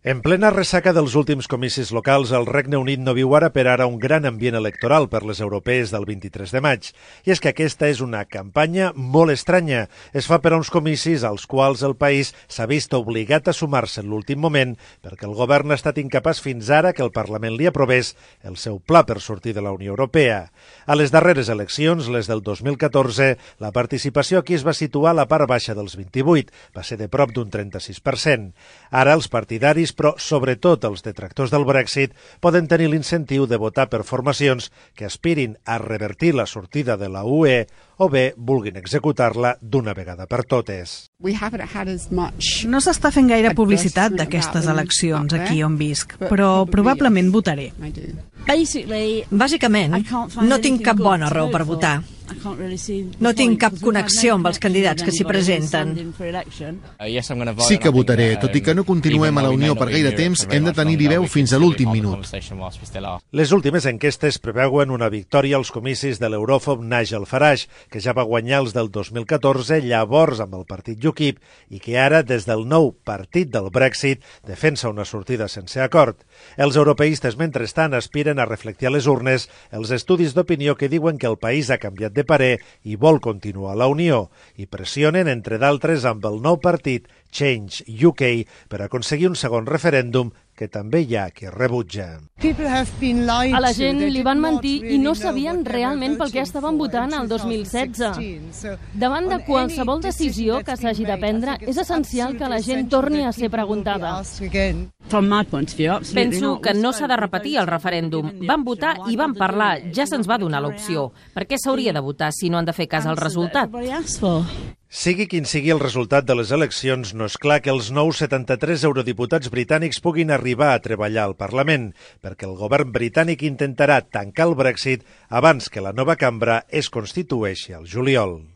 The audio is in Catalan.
En plena ressaca dels últims comicis locals, el Regne Unit no viu ara per ara un gran ambient electoral per les europees del 23 de maig. I és que aquesta és una campanya molt estranya. Es fa per a uns comicis als quals el país s'ha vist obligat a sumar-se en l'últim moment perquè el govern ha estat incapaç fins ara que el Parlament li aprovés el seu pla per sortir de la Unió Europea. A les darreres eleccions, les del 2014, la participació aquí es va situar a la part baixa dels 28, va ser de prop d'un 36%. Ara els partidaris, però sobretot els detractors del Brexit, poden tenir l'incentiu de votar per formacions que aspirin a revertir la sortida de la UE o bé vulguin executar-la d'una vegada per totes. No s'està fent gaire publicitat d'aquestes eleccions aquí on visc, però probablement votaré. Bàsicament, no tinc cap bona raó per votar. No tinc cap connexió amb els candidats que s'hi presenten. Sí que votaré, tot i que no continuem a la Unió per gaire temps, hem de tenir-hi veu fins a l'últim minut. Les últimes enquestes preveuen una victòria als comicis de l'euròfob Nigel Farage, que ja va guanyar els del 2014, llavors amb el partit UKIP, i que ara, des del nou partit del Brexit, defensa una sortida sense acord. Els europeistes, mentrestant, aspiren a reflectir a les urnes els estudis d'opinió que diuen que el país ha canviat de parer i vol continuar a la Unió, i pressionen, entre d'altres, amb el nou partit Change UK per aconseguir un segon referèndum que també hi ha qui rebutja. A la gent li van mentir i no sabien realment pel què estaven votant el 2016. Davant de qualsevol decisió que s'hagi de prendre, és essencial que la gent torni a ser preguntada. Penso que no s'ha de repetir el referèndum. Van votar i van parlar, ja se'ns va donar l'opció. Per què s'hauria de votar si no han de fer cas al resultat? Sigui quin sigui el resultat de les eleccions, no és clar que els nous 73 eurodiputats britànics puguin arribar a treballar al Parlament, perquè el govern britànic intentarà tancar el Brexit abans que la nova cambra es constitueixi al juliol.